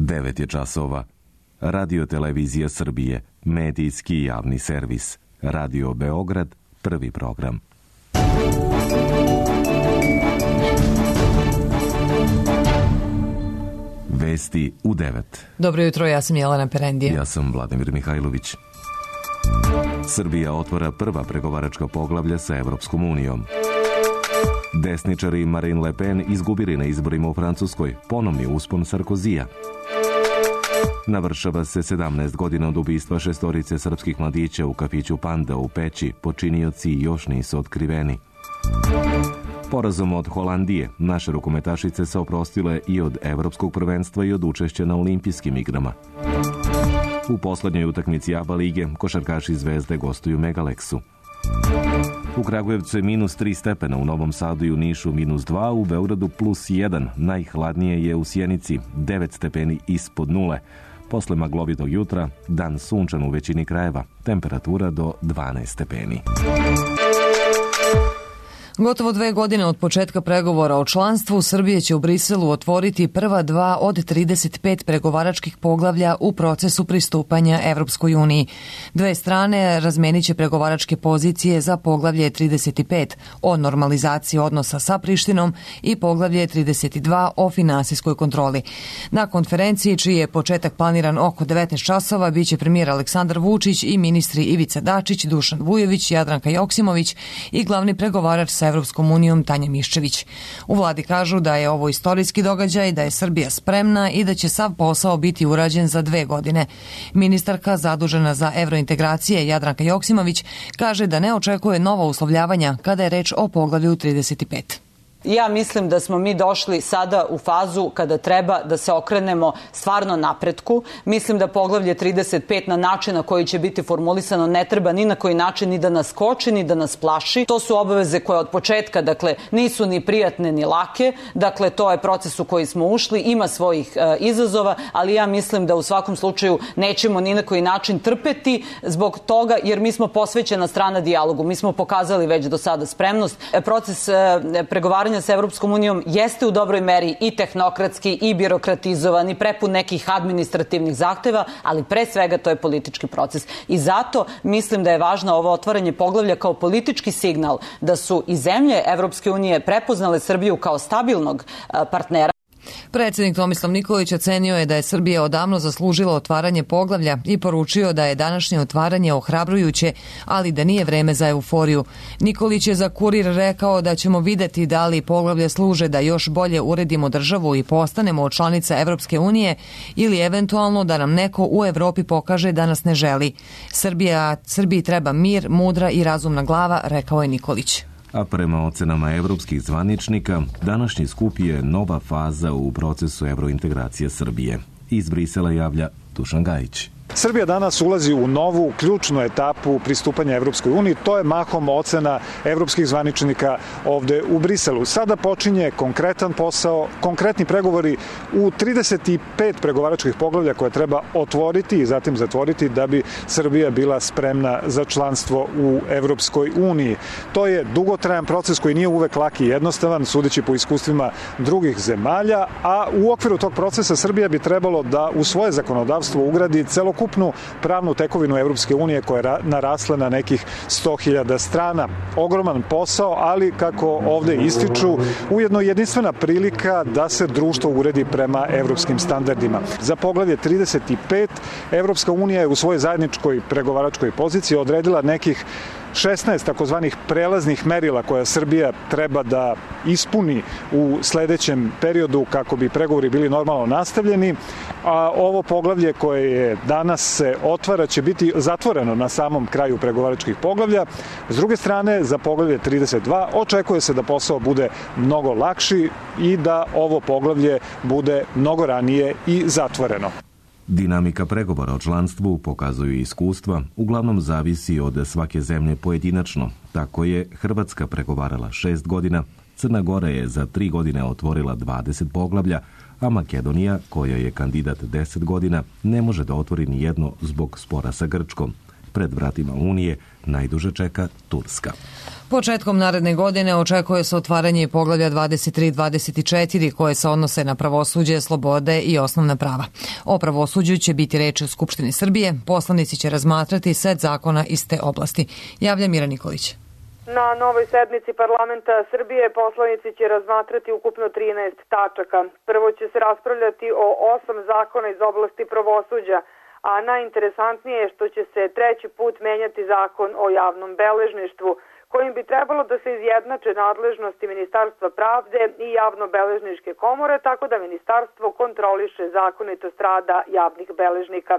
9 je časova. Radio Televizija Srbije, medijski javni servis. Radio Beograd, prvi program. Vesti u 9. Dobro jutro, ja sam Jelena Perendija. Ja sam Vladimir Mihajlović. Srbija otvara prva pregovaračka poglavlja sa Evropskom unijom. Desničari Marine Le Pen izgubili na izborima u Francuskoj. Ponovni uspon Sarkozija. Navršava se 17 godina od ubistva 6 srpskih mladića u kafiću Panda u Peći. Počinioci još nisu otkriveni. Porazom od Holandije, naše rukometašice se oprostile i od evropskog prvenstva i od učešća na olimpijskim igrama. U poslednjoj utakmici ABA lige košarkaši Zvezde gostuju Megalexu. U Kragujevcu je -3 stepena, u Novom Sadu i u Nišu -2, u Beogradu +1, najhladnije je u Sjenici, 9 stepeni ispod nule. Posle maglovitog jutra, dan sunčan u većini krajeva, temperatura do 12 stepeni. Gotovo 2 godine od početka pregovora o članstvu, Srbija će u Briselu otvoriti prva 2 od 35 pregovaračkih poglavlja u procesu pristupanja Evropskoj uniji. Dve strane razmenit će pregovaračke pozicije za poglavlje 35 o normalizaciji odnosa sa Prištinom i poglavlje 32 o finansijskoj kontroli. Na konferenciji, čiji je početak planiran oko 19 časova, biće premijer Aleksandar Vučić i ministri Ivica Dačić, Dušan Vujović, Jadranka Joksimović i glavni pregovarač sa Evropskom unijom Tanja Miščević. U vladi kažu da je ovo istorijski događaj, da je Srbija spremna i da će sav posao biti urađen za 2 godine. Ministarka zadužena za evrointegracije Jadranka Joksimović kaže da ne očekuje nova uslovljavanja kada je reč o poglavlju 35. Ja mislim da smo mi došli sada u fazu kada treba da se okrenemo stvarno napretku. Mislim da poglavlje 35 na način na koji će biti formulisano ne treba ni na koji način ni da nas koči, ni da nas plaši. To su obaveze koje od početka, nisu ni prijatne ni lake. To je proces u koji smo ušli, ima svojih izazova, ali ja mislim da u svakom slučaju nećemo ni na koji način trpeti zbog toga, jer mi smo posvećena strana dijalogu. Mi smo pokazali već do sada spremnost. Proces pregovaranja sa Evropskom unijom jeste u dobroj meri i tehnokratski i birokratizovan i prepun nekih administrativnih zahteva, ali pre svega to je politički proces. I zato mislim da je važno ovo otvaranje poglavlja kao politički signal da su i zemlje Evropske unije prepoznale Srbiju kao stabilnog partnera. Predsjednik Tomislav Nikolić ocenio je da je Srbija odavno zaslužila otvaranje poglavlja i poručio da je današnje otvaranje ohrabrujuće, ali da nije vreme za euforiju. Nikolić je za Kurir rekao da ćemo videti da li poglavlje služe da još bolje uredimo državu i postanemo članica Evropske unije ili eventualno da nam neko u Evropi pokaže da nas ne želi. Srbiji treba mir, mudra i razumna glava, rekao je Nikolić. A prema ocenama evropskih zvaničnika, današnji skup je nova faza u procesu evrointegracije Srbije. Iz Brisela javlja Dušan Gajić. Srbija danas ulazi u novu, ključnu etapu pristupanja Evropskoj uniji. To je mahom ocena evropskih zvaničnika ovde u Briselu. Sada počinje konkretan posao, konkretni pregovori u 35 pregovaračkih poglavlja koje treba otvoriti i zatim zatvoriti da bi Srbija bila spremna za članstvo u Evropskoj uniji. To je dugotrajan proces koji nije uvek lak i jednostavan, sudeći po iskustvima drugih zemalja, a u okviru tog procesa Srbija bi trebalo da u svoje zakonodavstvo ugradi celokupnu pravnu tekovinu Evropske unije koja je narasla na nekih 100.000 strana. Ogroman posao, ali kako ovde ističu, ujedno jedinstvena prilika da se društvo uredi prema evropskim standardima. Za poglavlje 35 Evropska unija je u svojoj zajedničkoj pregovaračkoj poziciji odredila nekih 16 takozvanih prelaznih merila koja Srbija treba da ispuni u sledećem periodu kako bi pregovori bili normalno nastavljeni, a ovo poglavlje koje je danas se otvara će biti zatvoreno na samom kraju pregovaračkih poglavlja. S druge strane, za poglavlje 32 očekuje se da posao bude mnogo lakši i da ovo poglavlje bude mnogo ranije i zatvoreno. Dinamika pregovora o članstvu, pokazuju iskustva, uglavnom zavisi od svake zemlje pojedinačno. Tako je Hrvatska pregovarala 6 godina, Crna Gora je za 3 godine otvorila 20 poglavlja, a Makedonija, koja je kandidat 10 godina, ne može da otvori ni jedno zbog spora sa Grčkom. pred vratima Unije najduže čeka Turska. Početkom naredne godine očekuje se otvaranje poglavlja 23-24 koje se odnose na pravosuđe, slobode i osnovna prava. O pravosuđu će biti reč u Skupštini Srbije. Poslanici će razmatrati set zakona iz te oblasti. Javlja Mira Nikolić. Na novoj sednici parlamenta Srbije poslanici će razmatrati ukupno 13 tačaka. Prvo će se raspravljati o 8 zakona iz oblasti pravosuđa, a najinteresantnije je što će se treći put menjati zakon o javnom beležništvu, kojim bi trebalo da se izjednače nadležnosti Ministarstva pravde i javno-beležničke komore, tako da ministarstvo kontroliše zakonitost rada javnih beležnika.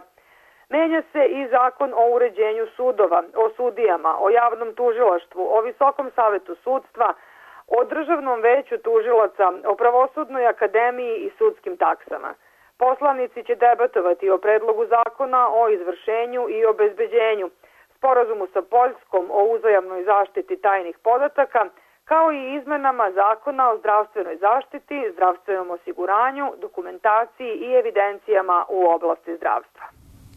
Menja se i zakon o uređenju sudova, o sudijama, o javnom tužilaštvu, o Visokom savetu sudstva, o Državnom veću tužilaca, o Pravosudnoj akademiji i sudskim taksama. Poslanici će debatovati o predlogu zakona o izvršenju i obezbeđenju, sporazumu sa Poljskom o uzajamnoj zaštiti tajnih podataka, kao i izmenama zakona o zdravstvenoj zaštiti, zdravstvenom osiguranju, dokumentaciji i evidencijama u oblasti zdravstva.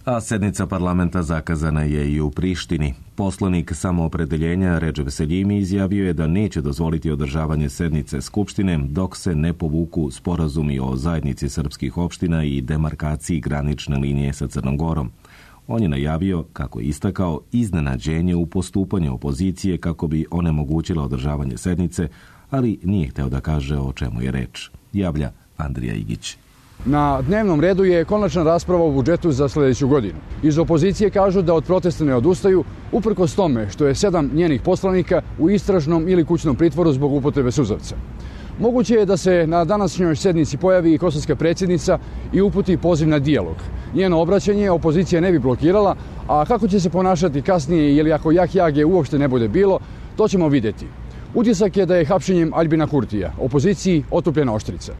A sednica parlamenta zakazana je i u Prištini. Poslanik Samoopredeljenja Redžep Seljimi izjavio je da neće dozvoliti održavanje sednice Skupštine dok se ne povuku sporazumi o zajednici srpskih opština i demarkaciji granične linije sa Crnom Gorom. On je najavio, kako je istakao, iznenađenje u postupanju opozicije kako bi onemogućila održavanje sednice, ali nije hteo da kaže o čemu je reč. Javlja Andrija Igić. Na dnevnom redu je konačna rasprava o budžetu za sljedeću godinu. Iz opozicije kažu da od protesta ne odustaju, uprkos tome što je 7 njenih poslanika u istražnom ili kućnom pritvoru zbog upotrebe suzavca. Moguće je da se na današnjoj sednici pojavi i kosovska predsjednica i uputi poziv na dijalog. Njeno obraćanje opozicija ne bi blokirala, a kako će se ponašati kasnije ili ako Jahjage uopšte ne bude bilo, to ćemo vidjeti. Utisak je da je hapšenjem Aljbina Kurtija opoziciji otupljena oštrica.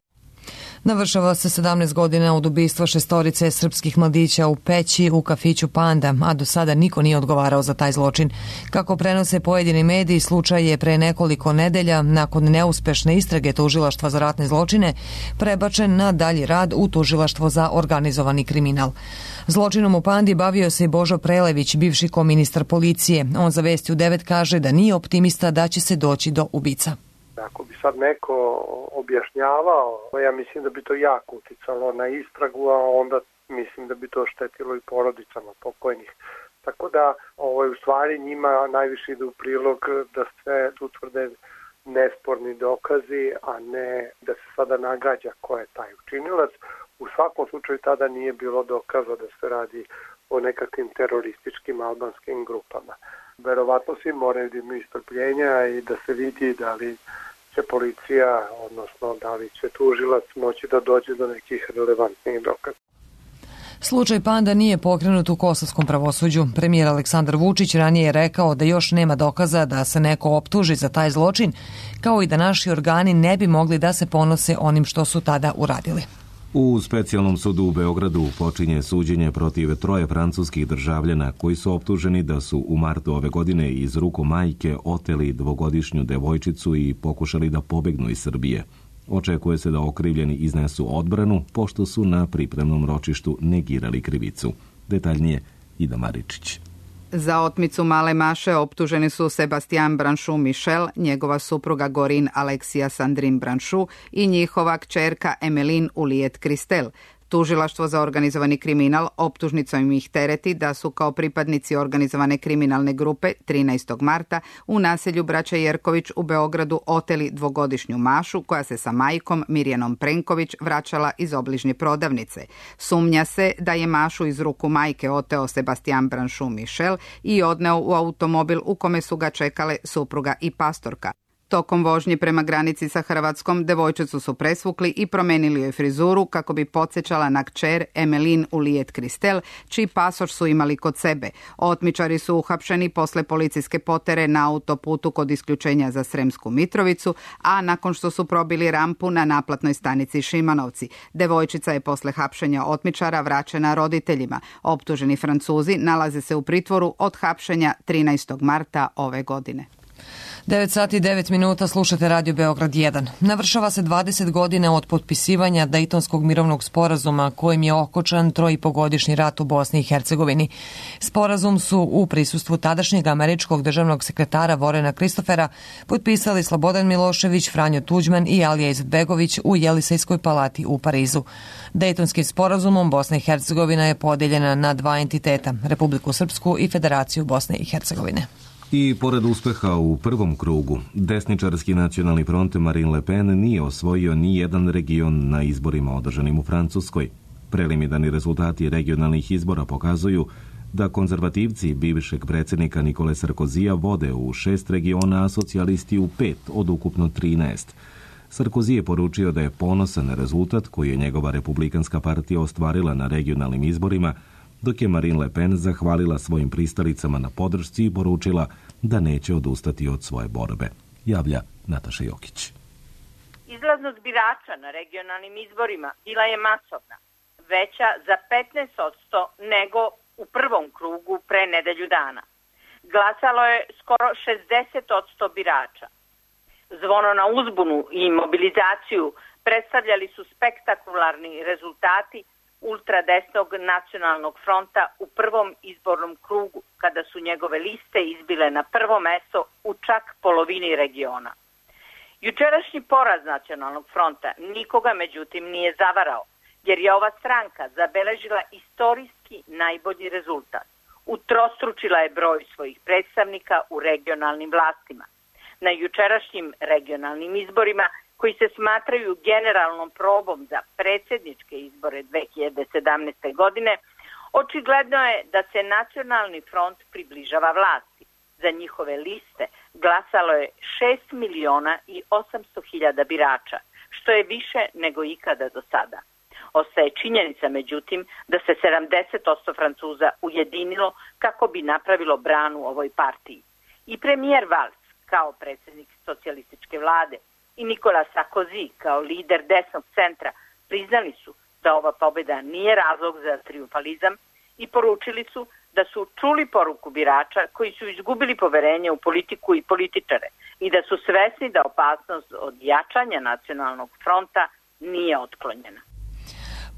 Navršava se 17 godina od ubistva 6 srpskih mladića u Peći u kafiću Panda, a do sada niko nije odgovarao za taj zločin. Kako prenose pojedini mediji, slučaj je pre nekoliko nedelja, nakon neuspešne istrage Tužilaštva za ratne zločine, prebačen na dalji rad u Tužilaštvo za organizovani kriminal. Zločinom u Pandi bavio se i Božo Prelević, bivši koministar policije. On za Vesti u 9 kaže da nije optimista da će se doći do ubica. Ako bi sad neko objašnjavao, ja mislim da bi to jako uticalo na istragu, a onda mislim da bi to štetilo i porodicama pokojnih. Tako da u stvari njima najviše ide u prilog da se utvrde nesporni dokazi, a ne da se sada nagađa ko je taj učinilac. U svakom slučaju tada nije bilo dokaza da se radi o nekakvim terorističkim albanskim grupama. Verovatno svi moraju da imaju strpljenja i da se vidi da li će policija, odnosno da li će tužilac moći da dođe do nekih relevantnih dokaza. Slučaj Panda nije pokrenut u kosovskom pravosuđu. Premijer Aleksandar Vučić ranije je rekao da još nema dokaza da se neko optuži za taj zločin, kao i da naši organi ne bi mogli da se ponose onim što su tada uradili. U specijalnom sudu u Beogradu počinje suđenje protiv 3 francuskih državljana koji su optuženi da su u martu ove godine iz ruku majke oteli 2-godišnju devojčicu i pokušali da pobegnu iz Srbije. Očekuje se da okrivljeni iznesu odbranu, pošto su na pripremnom ročištu negirali krivicu. Detaljnije Ida Maričić. Za otmicu male Maše optuženi su Sebastian Branchou Michel, njegova supruga Gorin Aleksija Sandrine Branchou i njihova kćerka Emeline Ulijet Kristel. Tužilaštvo za organizovani kriminal optužnicom ih tereti da su kao pripadnici organizovane kriminalne grupe 13. marta u naselju Braća Jerković u Beogradu oteli 2-godišnju Mašu koja se sa majkom Mirjanom Prenković vraćala iz obližnje prodavnice. Sumnja se da je Mašu iz ruku majke oteo Sebastian Branchou Michel i odneo u automobil u kome su ga čekale supruga i pastorka. Tokom vožnje prema granici sa Hrvatskom, devojčicu su presvukli i promenili joj frizuru kako bi podsjećala na kćer Emeline Ulijet Kristel, čiji pasoš su imali kod sebe. Otmičari su uhapšeni posle policijske potere na autoputu kod isključenja za Sremsku Mitrovicu, a nakon što su probili rampu na naplatnoj stanici Šimanovci. Devojčica je posle hapšenja otmičara vraćena roditeljima. Optuženi Francuzi nalaze se u pritvoru od hapšenja 13. marta ove godine. 9 sati i 9 minuta, slušate Radio Beograd 1. Navršava se 20 godina od potpisivanja Dejtonskog mirovnog sporazuma kojim je okončan 3,5-godišnji rat u Bosni i Hercegovini. Sporazum su u prisustvu tadašnjeg američkog državnog sekretara Vorena Kristofera potpisali Slobodan Milošević, Franjo Tuđman i Alija Izetbegović u Jelisejskoj palati u Parizu. Dejtonskim sporazumom Bosna i Hercegovina je podeljena na dva entiteta, Republiku Srpsku i Federaciju Bosne i Hercegovine. I pored uspeha u prvom krugu, desničarski nacionalni front Marine Le Pen nije osvojio ni jedan region na izborima održanim u Francuskoj. Preliminarni rezultati regionalnih izbora pokazuju da konzervativci bivšeg predsjednika Nikole Sarkozija vode u 6 regiona, a socijalisti u 5 od ukupno 13. Sarkozy je poručio da je ponosan na rezultat koji je njegova republikanska partija ostvarila na regionalnim izborima, dok je Marine Le Pen zahvalila svojim pristalicama na podršci i poručila da neće odustati od svoje borbe. Javlja Nataša Jokić. Izlaznost birača na regionalnim izborima bila je masovna, veća za 15% nego u prvom krugu pre nedelju dana. Glasalo je skoro 60% birača. Zvono na uzbunu i mobilizaciju predstavljali su spektakularni rezultati ultradesnog nacionalnog fronta u prvom izbornom krugu, kada su njegove liste izbile na prvo mesto u čak polovini regiona. Jučerašnji poraz nacionalnog fronta nikoga međutim nije zavarao, jer je ova stranka zabeležila istorijski najbolji rezultat. Utrostručila je broj svojih predstavnika u regionalnim vlastima. Na jučerašnjim regionalnim izborima, koji se smatraju generalnom probom za predsjedničke izbore 2017. godine, očigledno je da se nacionalni front približava vlasti. Za njihove liste glasalo je 6.800.000 birača, što je više nego ikada do sada. Ostaje činjenica, međutim, da se 70% Francuza ujedinilo kako bi napravilo branu ovoj partiji. I premijer Valls, kao predsjednik socijalističke vlade, i Nicolas Sarkozy kao lider desnog centra priznali su da ova pobjeda nije razlog za trijumfalizam i poručili su da su čuli poruku birača koji su izgubili poverenje u politiku i političare i da su svesni da opasnost od jačanja nacionalnog fronta nije otklonjena.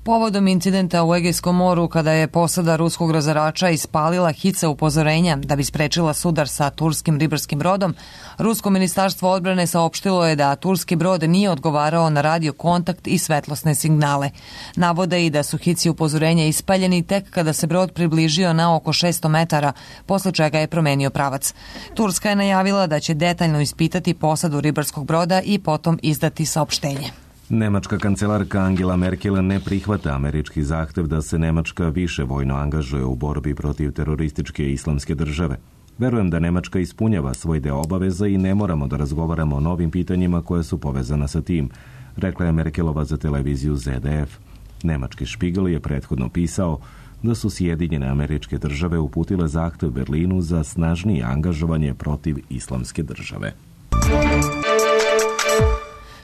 Povodom incidenta u Egejskom moru, kada je posada ruskog razarača ispalila hice upozorenja da bi sprečila sudar sa turskim ribarskim brodom, Rusko ministarstvo odbrane saopštilo je da turski brod nije odgovarao na radio kontakt i svetlosne signale. Navode i da su hici upozorenja ispaljeni tek kada se brod približio na oko 600 metara, posle čega je promenio pravac. Turska je najavila da će detaljno ispitati posadu ribarskog broda i potom izdati saopštenje. Nemačka kancelarka Angela Merkel ne prihvata američki zahtev da se Nemačka više vojno angažuje u borbi protiv terorističke islamske države. Verujem da Nemačka ispunjava svoj deo obaveza i ne moramo da razgovaramo o novim pitanjima koje su povezana sa tim, rekla je Merkelova za televiziju ZDF. Nemački Spiegel je prethodno pisao da su Sjedinjene Američke Države uputile zahtev Berlinu za snažnije angažovanje protiv islamske države.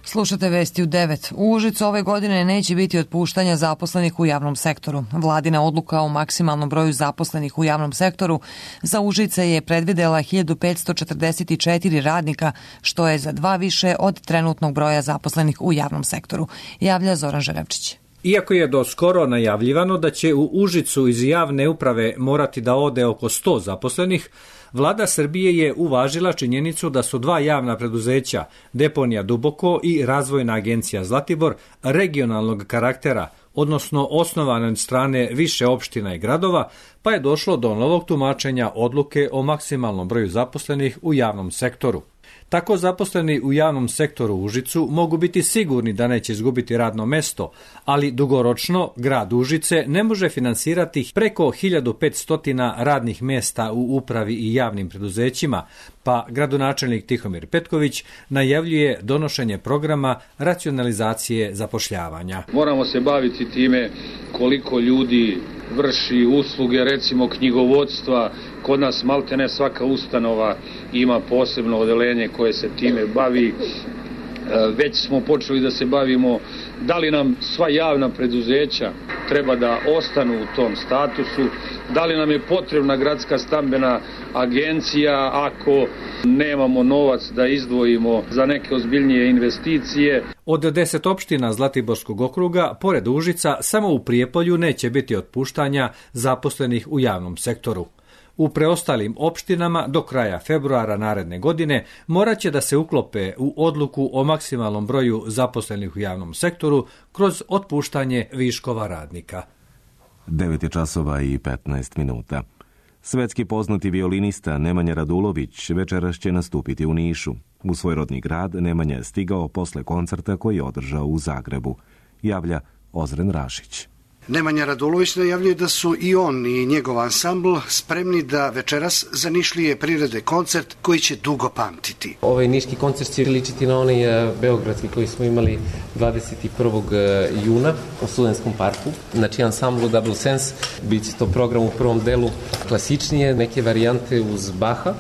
Slušate vesti u 9. U Užicu ove godine neće biti otpuštanja zaposlenih u javnom sektoru. Vladina odluka o maksimalnom broju zaposlenih u javnom sektoru za Užice je predvidela 1544 radnika, što je za 2 više od trenutnog broja zaposlenih u javnom sektoru, javlja Zoran Žerevčić. Iako je do skoro najavljivano da će u Užicu iz javne uprave morati da ode oko 100 zaposlenih, Vlada Srbije je uvažila činjenicu da su 2 javna preduzeća, Deponija Duboko i Razvojna agencija Zlatibor, regionalnog karaktera, odnosno osnovane od strane više opština i gradova, pa je došlo do novog tumačenja odluke o maksimalnom broju zaposlenih u javnom sektoru. Tako zaposleni u javnom sektoru u Užicu mogu biti sigurni da neće izgubiti radno mesto, ali dugoročno grad Užice ne može finansirati preko 1500 radnih mesta u upravi i javnim preduzećima, pa gradonačelnik Tihomir Petković najavljuje donošenje programa racionalizacije zapošljavanja. Moramo se baviti time koliko ljudi vrši usluge, recimo knjigovodstva. Kod nas maltene svaka ustanova ima posebno odeljenje koje se time bavi. Već smo počeli da se bavimo da li nam sva javna preduzeća treba da ostanu u tom statusu, da li nam je potrebna gradska stambena agencija ako nemamo novac da izdvojimo za neke ozbiljnije investicije. Od 10 opština Zlatiborskog okruga, pored Užica, samo u Prijepolju neće biti otpuštanja zaposlenih u javnom sektoru. U preostalim opštinama do kraja februara naredne godine morat će da se uklope u odluku o maksimalnom broju zaposlenih u javnom sektoru kroz otpuštanje viškova radnika. 9:15. Svetski poznati violinista Nemanja Radulović večeras će nastupiti u Nišu. U svoj rodni grad Nemanja je stigao posle koncerta koji je održao u Zagrebu. Javlja Ozren Rašić. Nemanja Radulović najavljuje da su i on i njegov ansambl spremni da večeras za Nišlije prirede koncert koji će dugo pamtiti. Ovaj niški koncert će ličiti na onaj beogradski koji smo imali 21. juna u Studentskom parku. Znači ansamblu Double Sense, bit će to program u prvom delu klasičnije, neke varijante uz Baha.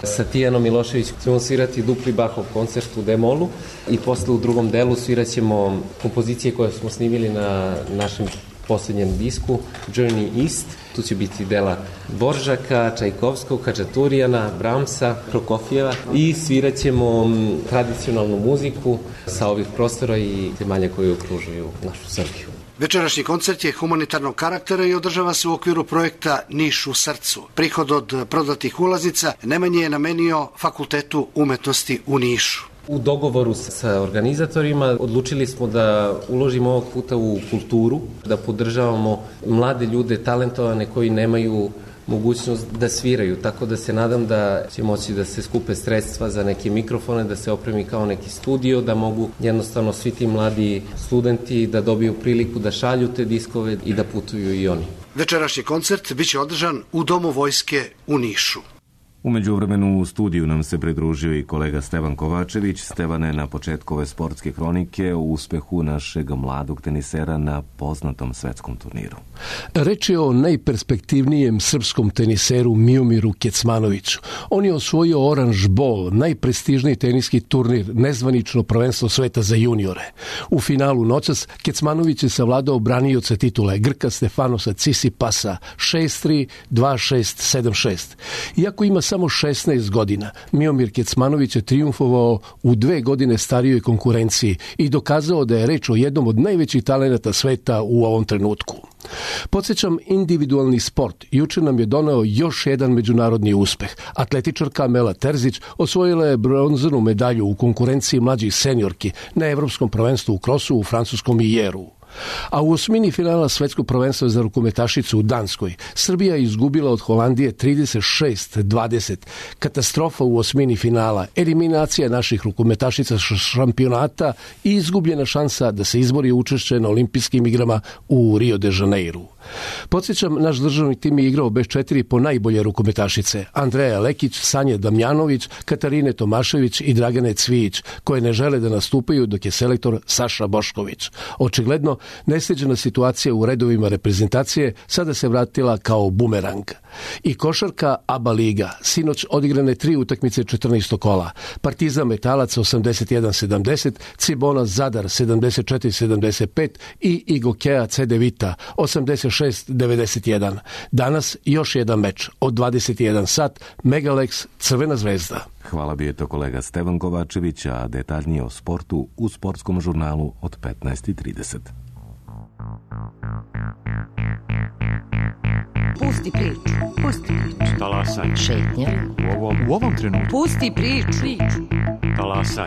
Sa Tijanom Milošević ćemo svirati dupli Bahov koncert u D-molu i posle u drugom delu svirat ćemo kompozicije koje smo snimili na našem posljednjem disku Journey East. Tu će biti dela Dvoržaka, Čajkovskog, Hačaturijana, Bramsa, Prokofijeva i svirat ćemo tradicionalnu muziku sa ovih prostora i zemalja koje okružuju našu Srbiju. Večerašnji koncert je humanitarnog karaktera i održava se u okviru projekta Niš u srcu. Prihod od prodatih ulaznica Nemanja je namenio Fakultetu umetnosti u Nišu. U dogovoru sa organizatorima odlučili smo da uložimo ovog puta u kulturu, da podržavamo mlade ljude, talentovane koji nemaju mogućnost da sviraju, tako da se nadam da će moći da se skupe sredstva za neke mikrofone, da se opremi kao neki studio, da mogu jednostavno svi ti mladi studenti da dobiju priliku da šalju te diskove i da putuju i oni. Večerašnji koncert biće održan u Domu vojske u Nišu. U međuvremenu u studiju nam se pridružio i kolega Stevan Kovačević. Stevane, na početku ove sportske hronike o uspehu našeg mladog tenisera na poznatom svetskom turniru. Reč je o najperspektivnijem srpskom teniseru Miomiru Kecmanoviću. On je osvojio Orange Bowl, najprestižniji teniski turnir, nezvanično prvenstvo sveta za juniore. U finalu noćas Kecmanović je savladao branioca titule Grka Stefanosa Tsitsipasa 6-3, 2-6, 7-6. Iako ima samo 16 godina, Miomir Kecmanović je trijumfovao u 2 godine starijoj konkurenciji i dokazao da je reč o jednom od najvećih talenata sveta u ovom trenutku. Podsjećam, individualni sport juče nam je doneo još jedan međunarodni uspeh. Atletičarka Mela Terzić osvojila je bronzanu medalju u konkurenciji mlađih seniorki na Evropskom prvenstvu u krosu u francuskom Ijeru. A u osmini finala svetskog prvenstva za rukometašicu u Danskoj Srbija je izgubila od Holandije 36-20. Katastrofa u osmini finala, eliminacija naših rukometašica šampionata i izgubljena šansa da se izbori učešće na olimpijskim igrama u Rio de Janeiru. Podsjećam, naš državni tim je igrao bez 4 po najbolje rukometašice: Andreja Lekić, Sanje Damjanović, Katarine Tomašević i Dragane Cvijić, koje ne žele da nastupaju dok je selektor Saša Bošković. Očigledno, nesređena situacija u redovima reprezentacije sada se vratila kao bumerang. I košarka ABA liga, sinoć odigrane 3 utakmice 14. kola. Partizan Metalac 81-70, Cibona Zadar 74-75 i Igokea CD Vita 86-91. Danas još jedan meč od 21 sat, Megalex Crvena zvezda. Hvala bi je to kolega Stevan Kovačević, a detaljnije o sportu u sportskom žurnalu od 15:30. Pusti priču. Pusti priču. Talasaj. Šetnja. U ovom trenutku. Pusti priču. Talasaj.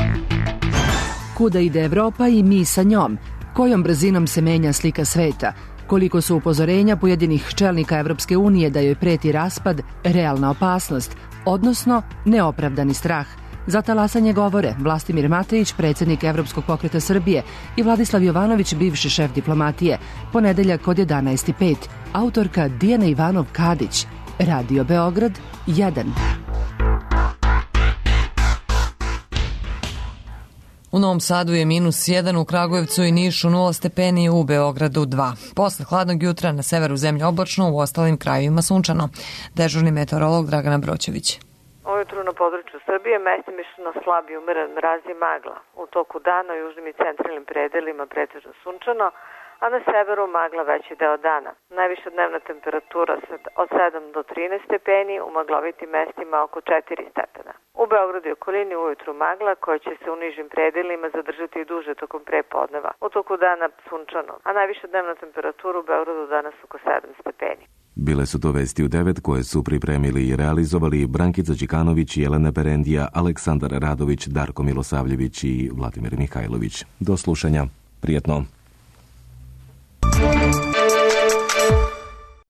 Kuda ide Evropa i mi sa njom? Kojom brzinom se menja slika sveta? Koliko su upozorenja pojedinih čelnika Evropske unije da joj preti raspad, realna opasnost, odnosno neopravdani strah? Za talasanje govore Vlastimir Matejić, predsjednik Evropskog pokreta Srbije, i Vladislav Jovanović, bivši šef diplomatije. Ponedeljak od 11:05. Autorka Dijana Ivanov-Kadić. Radio Beograd 1. U Novom Sadu je -1, u Kragujevcu i Nišu 0 stepeni, u Beogradu 2. Posle hladnog jutra na severu zemlje oblačno, u ostalim krajevima sunčano. Dežurni meteorolog Dragana Broćević. Ujutru na području Srbije mestimično slab i umeran mraz i magla. U toku dana u južnim i centralnim predelima pretežno sunčano, a na severu magla veći deo dana. Najviša dnevna temperatura od 7 do 13 stepeni, u maglovitim mestima oko 4 stepena. U Beogradu i okolini ujutru magla koja će se u nižim predelima zadržati i duže tokom prepodneva. U toku dana sunčano, a najviša dnevna temperatura u Beogradu danas oko 7 stepeni. Bile su to vesti u 9 koje su pripremili i realizovali Brankica Đikanović, Jelena Perendija, Aleksandar Radović, Darko Milosavljević i Vladimir Mihajlović. Do slušanja. Prijetno.